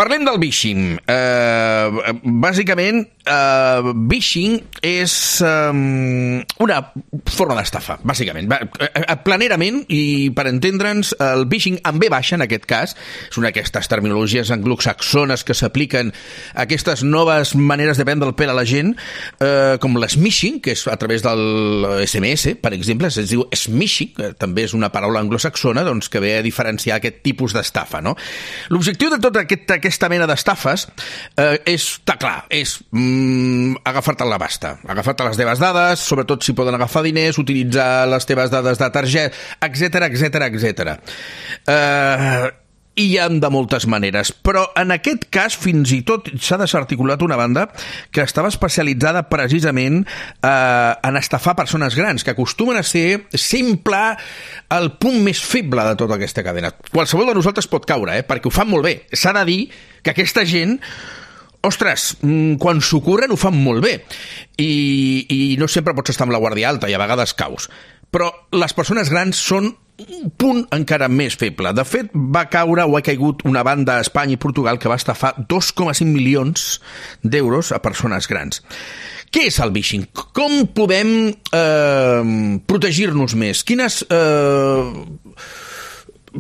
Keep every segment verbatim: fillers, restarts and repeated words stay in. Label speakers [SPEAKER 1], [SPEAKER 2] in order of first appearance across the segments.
[SPEAKER 1] Parlem del vishing. Uh, bàsicament, uh, vishing és um, una forma d'estafa, bàsicament. Uh, planerament, i per entendre'ns, el vishing en ve baixa, en aquest cas, és una d'aquestes terminologies anglosaxones que s'apliquen a aquestes noves maneres de prendre el pèl a la gent, uh, com l'smishing, que és a través del S M S, per exemple, es diu smishing, que també és una paraula anglosaxona, doncs, que ve a diferenciar aquest tipus d'estafa, no? L'objectiu de tota aquest, aquesta mena d'estafes eh, és, està clar, és mm, agafar-te la basta, agafar-te les teves dades, sobretot si poden agafar diners, utilitzar les teves dades de targeta, etcètera, etcètera, etcètera. Eh, i hi ha de moltes maneres, però en aquest cas fins i tot s'ha desarticulat una banda que estava especialitzada precisament eh, en estafar persones grans, que acostumen a ser sempre el punt més feble de tota aquesta cadena. Qualsevol de nosaltres pot caure, eh, perquè ho fan molt bé. S'ha de dir que aquesta gent, ostres, quan s'ocorren ho fan molt bé, i, i no sempre pots estar amb la guàrdia alta i a vegades caus, però les persones grans són un punt encara més feble. De fet, va caure o ha caigut una banda a Espanya i Portugal que va estafar dos coma cinc milions d'euros a persones grans. Què és el vishing? Com podem eh, protegir-nos més? Quines eh,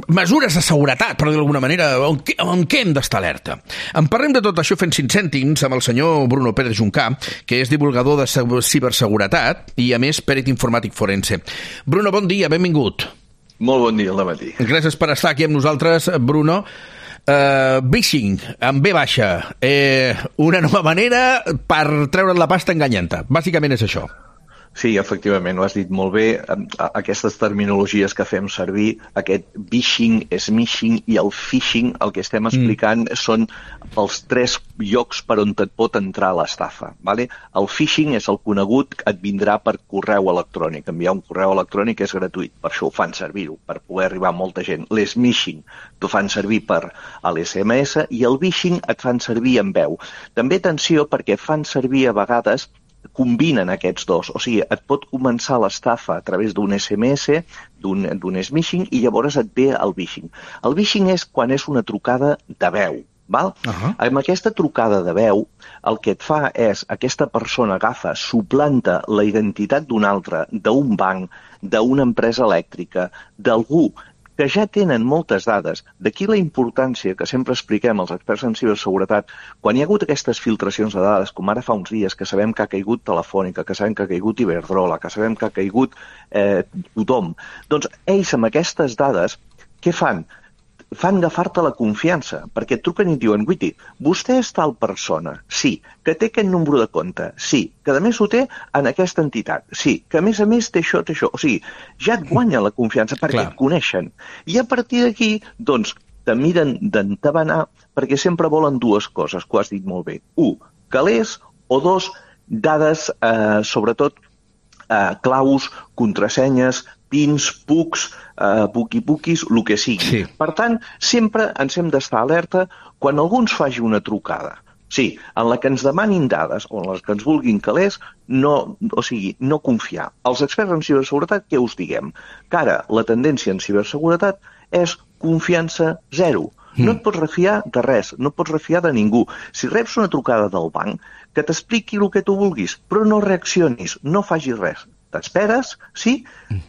[SPEAKER 1] mesures de seguretat, per dir d'alguna manera, en què, en què hem d'estar alerta? En parlem de tot això fent cinc cèntims amb el senyor Bruno Pérez Juncà, que és divulgador de ciberseguretat i, a més, pèrit informàtic forense. Bruno, bon dia, benvingut.
[SPEAKER 2] Molt bon dia, al dematí.
[SPEAKER 1] Gràcies per estar aquí amb nosaltres, Bruno. Uh, vishing, en ve baixa, eh, una nova manera per treure't la pasta enganyant-te. Bàsicament és això.
[SPEAKER 2] Sí, efectivament, ho has dit molt bé. Aquestes terminologies que fem servir, aquest vishing, smishing i el phishing, el que estem explicant mm. són els tres llocs per on et pot entrar l'estafa. Vale? El phishing és el conegut, et vindrà per correu electrònic. Enviar un correu electrònic és gratuït, per això ho fan servir-ho, per poder arribar a molta gent. L'smishing t'ho fan servir per a l'S M S i el vishing et fan servir en veu. També atenció perquè fan servir a vegades combinen aquests dos, o sigui, et pot començar l'estafa a través d'un S M S, d'un smishing, i llavors et ve el vishing. El vishing és quan és una trucada de veu, val? Uh-huh. Amb aquesta trucada de veu, el que et fa és, aquesta persona agafa, suplanta la identitat d'un altre, d'un banc, d'una empresa elèctrica, d'algú que ja tenen moltes dades. D'aquí la importància que sempre expliquem als experts en ciberseguretat, quan hi ha hagut aquestes filtracions de dades, com ara fa uns dies, que sabem que ha caigut Telefònica, que sabem que ha caigut Iberdrola, que sabem que ha caigut eh, tothom, doncs ells amb aquestes dades, què fan? Fan agafar-te la confiança, perquè et truquen i et diuen, Guiti, vostè és tal persona, sí, que té aquest número de compte, sí, que a més ho té en aquesta entitat, sí, que a més a més té això, té això, o sigui, ja et guanya la confiança perquè Clar. Et coneixen. I a partir d'aquí, doncs, te miren d'entabanar perquè sempre volen dues coses, que ho has dit molt bé. Un, calés, o dos, dades, eh, sobretot, eh, claus, contrasenyes, pins, pucs, eh, buqui-buquis, el que sigui. Sí. Per tant, sempre ens hem d'estar alerta quan algú ens faci una trucada. Sí, en la que ens demanin dades o en les que ens vulguin calés, no, o sigui, no confiar. Els experts en ciberseguretat, què us diguem? Que ara la tendència en ciberseguretat és confiança zero. Mm. No et pots refiar de res, no et pots refiar de ningú. Si reps una trucada del banc, que t'expliqui el que tu vulguis, però no reaccionis, no facis res. T'esperes, sí,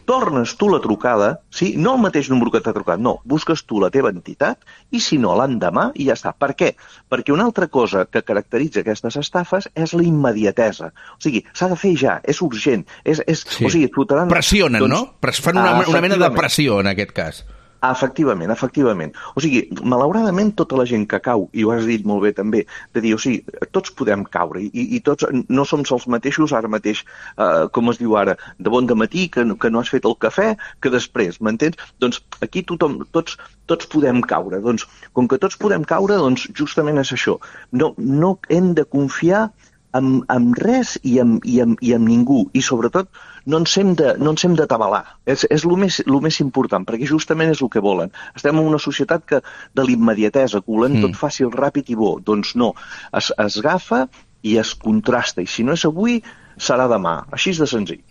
[SPEAKER 2] tornes tu la trucada, sí, no el mateix número que t'ha trucat, no, busques tu la teva entitat i si no, l'endemà i ja està. Per què? Perquè una altra cosa que caracteritza aquestes estafes és la immediatesa. O sigui, s'ha de fer ja, és urgent. És, és, sí. O sigui, flotaran,
[SPEAKER 1] pressionen, doncs, no? Fan una, una mena de pressió en aquest cas.
[SPEAKER 2] Efectivament, efectivament. O sigui, malauradament tota la gent que cau, i ho has dit molt bé també, de dir, o sigui, tots podem caure, i, i tots no som els mateixos ara mateix, eh, com es diu ara, de bon dematí, que, que no has fet el cafè, que després, m'entens? Doncs aquí tothom, tots, tots podem caure. Doncs, com que tots podem caure, doncs justament és això. No, no hem de confiar amb, amb res i amb, i, amb, i amb ningú, i sobretot no ens hem de, no ens hem de tabalar. És, és el més, el més important, perquè justament és el que volen. Estem en una societat que de l'immediatesa, que volem mm. tot fàcil, ràpid i bo. Doncs no, es, es agafa i es contrasta, i si no és avui, serà demà. Així de senzill.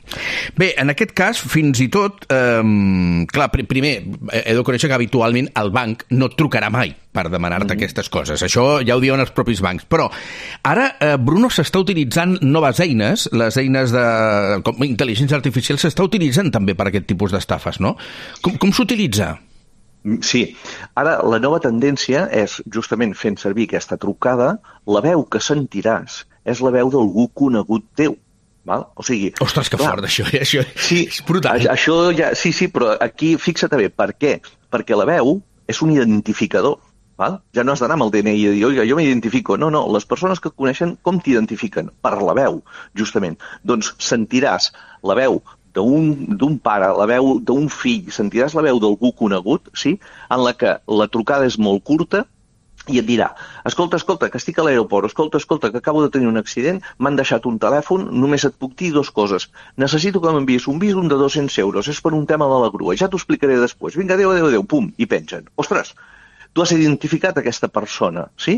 [SPEAKER 1] Bé, en aquest cas, fins i tot, eh, clar, pr primer, he de conèixer que habitualment el banc no et trucarà mai per demanar-te mm-hmm. aquestes coses. Això ja ho diuen els propis bancs. Però ara, eh, Bruno, s'està utilitzant noves eines, les eines de com, intel·ligència artificial s'està utilitzant també per aquest tipus d'estafes, no? Com, com s'utilitza?
[SPEAKER 2] Sí. Ara, la nova tendència és, justament fent servir aquesta trucada, la veu que sentiràs és la veu d'algú conegut teu. Val? O sigui...
[SPEAKER 1] Ostres, que clar, fort, això, eh? això
[SPEAKER 2] sí,
[SPEAKER 1] és brutal.
[SPEAKER 2] Això ja, sí, sí, però aquí fixa't bé, per què? Perquè la veu és un identificador. Val? Ja no has d'anar amb el D N I i dir, oiga, jo m'identifico. No, no, les persones que et coneixen, com t'identifiquen? Per la veu, justament. Doncs sentiràs la veu d'un pare, la veu d'un fill, sentiràs la veu d'algú conegut, sí? En la que la trucada és molt curta, i et dirà, escolta, escolta, que estic a l'aeroport, escolta, escolta, que acabo de tenir un accident, m'han deixat un telèfon, només et puc dir dues coses. Necessito que m'envies un visum de dos-cents euros, és per un tema de la grua, ja t'ho explicaré després. Vinga, adéu, adéu, adéu, pum, i pengen. Ostres, tu has identificat aquesta persona, sí?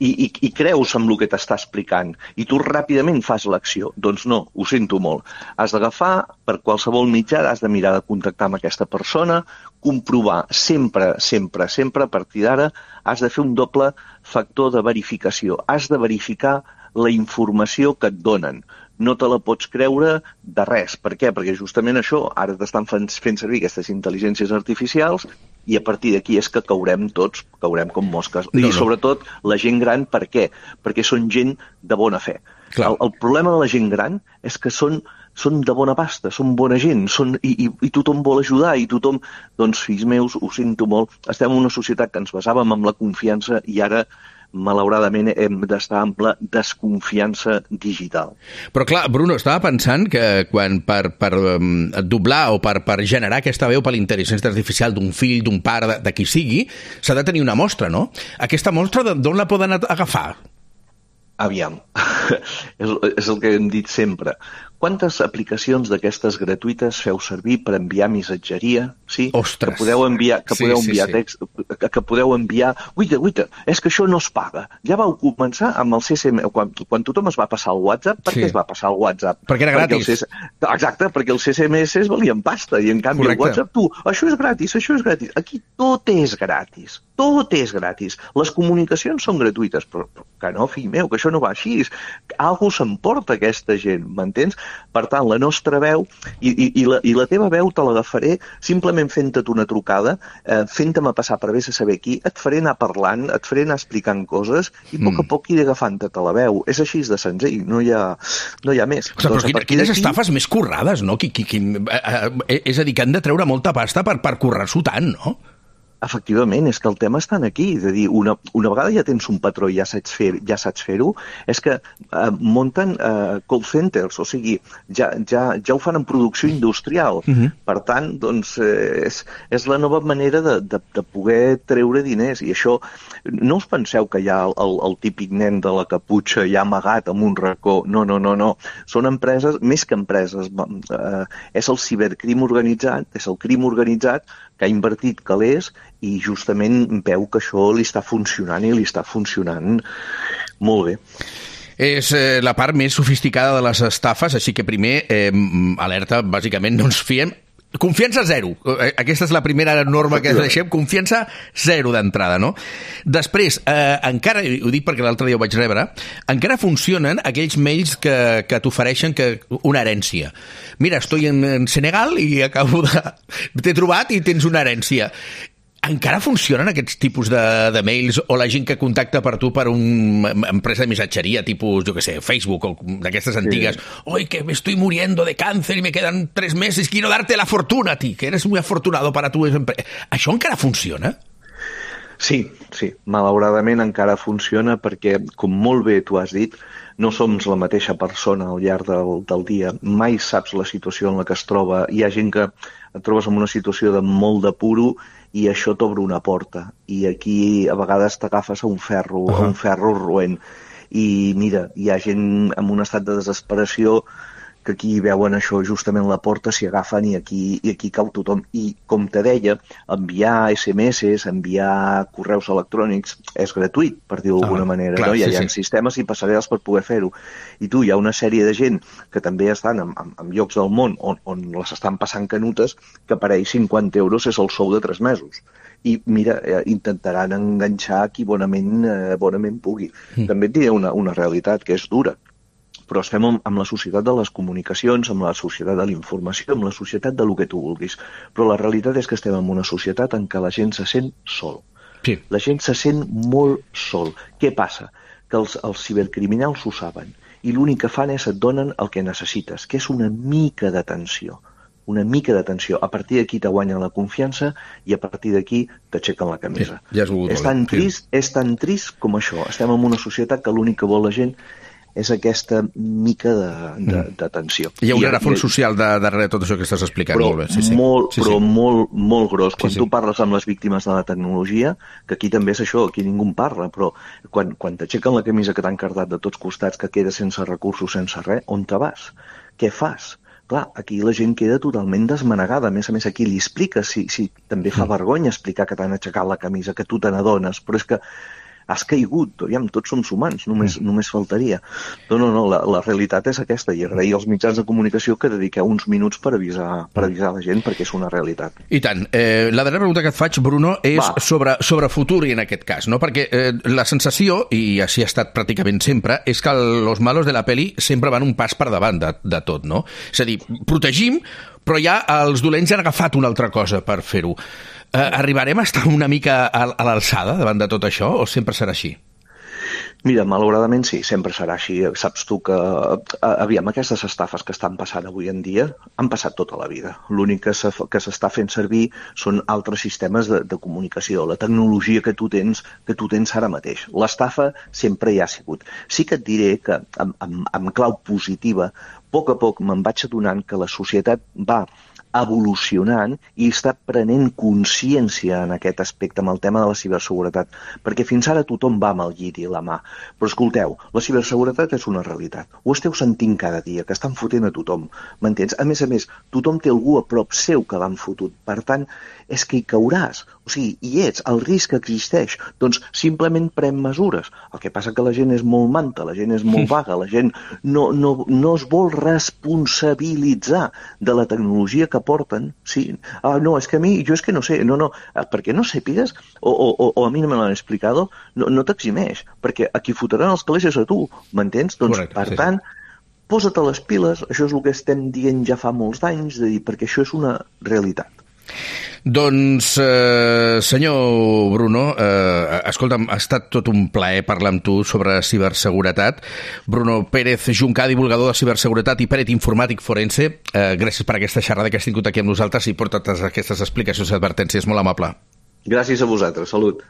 [SPEAKER 2] I, i, i creus en el que t'està explicant, i tu ràpidament fas l'acció. Doncs no, ho sento molt. Has d'agafar, per qualsevol mitjà, has de mirar de contactar amb aquesta persona, comprovar sempre, sempre, sempre, a partir d'ara, has de fer un doble factor de verificació. Has de verificar la informació que et donen. No te la pots creure de res. Per què? Perquè justament això, ara t'estan fent servir aquestes intel·ligències artificials i a partir d'aquí és que caurem tots, caurem com mosques. No, I sobretot la gent gran, per què? Perquè són gent de bona fe. El, el problema de la gent gran és que són, són de bona pasta, són bona gent, són, i, i, i tothom vol ajudar, i tothom... Doncs, fills meus, ho sento molt, estem en una societat que ens basàvem en la confiança i ara malauradament hem d'estar amb la desconfiança digital.
[SPEAKER 1] Però clar, Bruno, estava pensant que quan per, per um, doblar o per, per generar aquesta veu per l'intel·ligència artificial d'un fill, d'un pare, de, de qui sigui, s'ha de tenir una mostra, no? Aquesta mostra d'on la poden agafar?
[SPEAKER 2] Aviam, és, és el que hem dit sempre. Quantes aplicacions d'aquestes gratuïtes feu servir per enviar missatgeria? Sí?
[SPEAKER 1] Ostres!
[SPEAKER 2] Que podeu enviar, que
[SPEAKER 1] sí,
[SPEAKER 2] podeu
[SPEAKER 1] sí,
[SPEAKER 2] enviar
[SPEAKER 1] sí.
[SPEAKER 2] text, que, que podeu enviar... Uita, uita, és que això no es paga. Ja vau començar amb el C S M... Quan, quan tothom es va passar al WhatsApp, per sí. què es va passar al WhatsApp?
[SPEAKER 1] Perquè era gratis.
[SPEAKER 2] Perquè C S... Exacte, perquè els C S M S valien pasta i en canvi Correcte. El WhatsApp, tu, això és gratis, això és gratis. Aquí tot és gratis. Tot és gratis. Les comunicacions són gratuïtes, però, però que no, fill meu, que això no va així. Algú s'emporta aquesta gent, m'entens? Per tant, la nostra veu i, i, i, la, i la teva veu te l'agafaré simplement fent-te una trucada, eh, fent-me passar per vés a saber qui, et faré anar parlant, et faré anar explicant coses i a poc a poc iré agafant-te la veu. És així de senzill, no hi ha, no hi ha més.
[SPEAKER 1] Ostres, doncs, però quines estafes més currades, no? Qui, qui, qui, eh, eh, és a dir, que han de treure molta pasta per, per currar-s'ho tant, no?
[SPEAKER 2] Efectivament, és que el tema està aquí, de dir, una, una vegada ja tens un patró i ja saps fer, ja saps fer-ho, és que eh, munten eh, call centers, o sigui, ja, ja, ja ho fan en producció industrial. Uh-huh. Per tant, doncs, eh, és, és la nova manera de, de, de poder treure diners, i això, no us penseu que hi ha el, el, el típic nen de la caputxa ja amagat en un racó, no, no, no, no, són empreses, més que empreses, eh, és el cibercrim organitzat, és el crim organitzat que ha invertit calés i justament veu que això li està funcionant i li està funcionant molt bé.
[SPEAKER 1] És eh, la part més sofisticada de les estafes, així que primer, eh, alerta, bàsicament no ens fiem. Confiança zero. Aquesta és la primera norma que deixem. Confiança zero d'entrada, no? Després, eh, encara, ho dic perquè l'altre dia ho vaig rebre, encara funcionen aquells mails que, que t'ofereixen que, una herència. Mira, estoy en, en Senegal i acabo de... T'he trobat i tens una herència. Encara funcionen aquests tipus de, de mails o la gent que contacta per tu per una empresa de missatgeria, tipus, jo què sé, Facebook o d'aquestes antigues? Sí. Oi, que me estoy muriendo de cáncer y me quedan tres meses, quiero darte la fortuna a ti, que eres muy afortunado para tu empresa. Això encara funciona?
[SPEAKER 2] Sí, sí, malauradament encara funciona perquè, com molt bé tu has dit, no som la mateixa persona al llarg del, del dia, mai saps la situació en la que es troba, hi ha gent que et trobes en una situació de molt de puro i això t'obre una porta, i aquí a vegades t'agafes a un ferro, uh-huh. a un ferro roent, i mira, hi ha gent en un estat de desesperació que aquí veuen això justament la porta, s'hi agafen i aquí, i aquí cau tothom. I, com te deia, enviar esse eme esses, enviar correus electrònics és gratuït, per dir-ho d'alguna ah, manera. Clar, no? Hi ha, sí, sí. sistemes i passarel·les per poder fer-ho. I tu, hi ha una sèrie de gent que també estan en, en, en llocs del món on, on les estan passant canutes, que per ells cinquanta euros és el sou de tres mesos. I mira, eh, intentaran enganxar qui bonament, eh, bonament pugui. Mm. També et diré una, una realitat que és dura, però estem amb, amb la societat de les comunicacions, amb la societat de la informació, amb la societat de lo que tu vulguis. Però la realitat és que estem en una societat en què la gent se sent sol.
[SPEAKER 1] Sí.
[SPEAKER 2] La gent se sent molt sol. Què passa? Que els, els cibercriminals ho saben i l'únic que fan és et donen el que necessites, que és una mica d'atenció. una mica d'atenció. A partir d'aquí te guanyen la confiança i a partir d'aquí t'aixequen la camisa.
[SPEAKER 1] Sí, ja és,
[SPEAKER 2] és, tan trist, sí. és tan trist com això. Estem en una societat que l'únic que vol la gent és aquesta mica d'atenció.
[SPEAKER 1] Hi ha un rerefons social de, darrere de tot això que estàs explicant.
[SPEAKER 2] Però
[SPEAKER 1] molt bé. Sí, sí.
[SPEAKER 2] Molt,
[SPEAKER 1] sí,
[SPEAKER 2] però
[SPEAKER 1] sí.
[SPEAKER 2] molt, molt gros. Quan
[SPEAKER 1] sí, sí.
[SPEAKER 2] tu parles amb les víctimes de la tecnologia, que aquí també és això, aquí ningú en parla, però quan, quan t'aixequen la camisa que t'han cardat de tots costats, que quedes sense recursos, sense res, on te vas? Què fas? Clar, aquí la gent queda totalment desmanegada. A més a més, aquí li expliques, si, si també fa vergonya explicar que t'han aixecat la camisa, que tu te n'adones, però és que has caigut, aviam, tots som humans, només, mm. només faltaria. No, no, no, la, la realitat és aquesta, i agrair als mitjans de comunicació que dediqueu uns minuts per avisar, per avisar la gent, perquè és una realitat.
[SPEAKER 1] I tant. Eh, la darrera pregunta que et faig, Bruno, és sobre, sobre futur, i en aquest cas, no? Perquè eh, la sensació, i així ha estat pràcticament sempre, és que los malos de la peli sempre van un pas per davant de, de tot, no? És a dir, protegim, però ja els dolents han agafat una altra cosa per fer-ho. Eh, arribarem a estar una mica a, a l'alçada davant de tot això, o sempre serà així?
[SPEAKER 2] Mira, malauradament sí, sempre serà així. Saps tu que, aviam, aquestes estafes que estan passant avui en dia han passat tota la vida. L'únic que s'està fent servir són altres sistemes de, de comunicació, la tecnologia que tu tens que tu tens ara mateix. L'estafa sempre hi ha sigut. Sí que et diré que, amb, amb, amb clau positiva, a poc a poc me'n vaig adonant que la societat va evolucionant i està prenent consciència en aquest aspecte amb el tema de la ciberseguretat, perquè fins ara tothom va amb el lliri a la mà. Però escolteu, la ciberseguretat és una realitat. Ho esteu sentint cada dia, que estan fotent a tothom, m'entens? A més a més, tothom té algú a prop seu que l'han fotut. Per tant, és que hi cauràs. O sigui, hi ets, el risc existeix. Doncs simplement pren mesures. El que passa que la gent és molt manta, la gent és molt vaga, la gent no, no, no es vol responsabilitzar de la tecnologia que porten. Sí. Ah, no, és que a mi, jo és que no sé, no, no, perquè no sàpigues, o, o, o a mi no me l'han explicat, no, no t'eximeix, perquè a qui fotran els calés és a tu, m'entens? Doncs, correcte, per sí, tant, posa't a les piles, això és el que estem dient ja fa molts d'anys, de dir, perquè això és una realitat.
[SPEAKER 1] Doncs, eh, senyor Bruno, eh, escolta'm, ha estat tot un plaer parlar amb tu sobre ciberseguretat. Bruno Pérez Juncà, divulgador de ciberseguretat i pèrit informàtic forense, eh, gràcies per aquesta xerrada que has tingut aquí amb nosaltres i per totes aquestes explicacions i advertències. Molt amable.
[SPEAKER 2] Gràcies a vosaltres. Salut.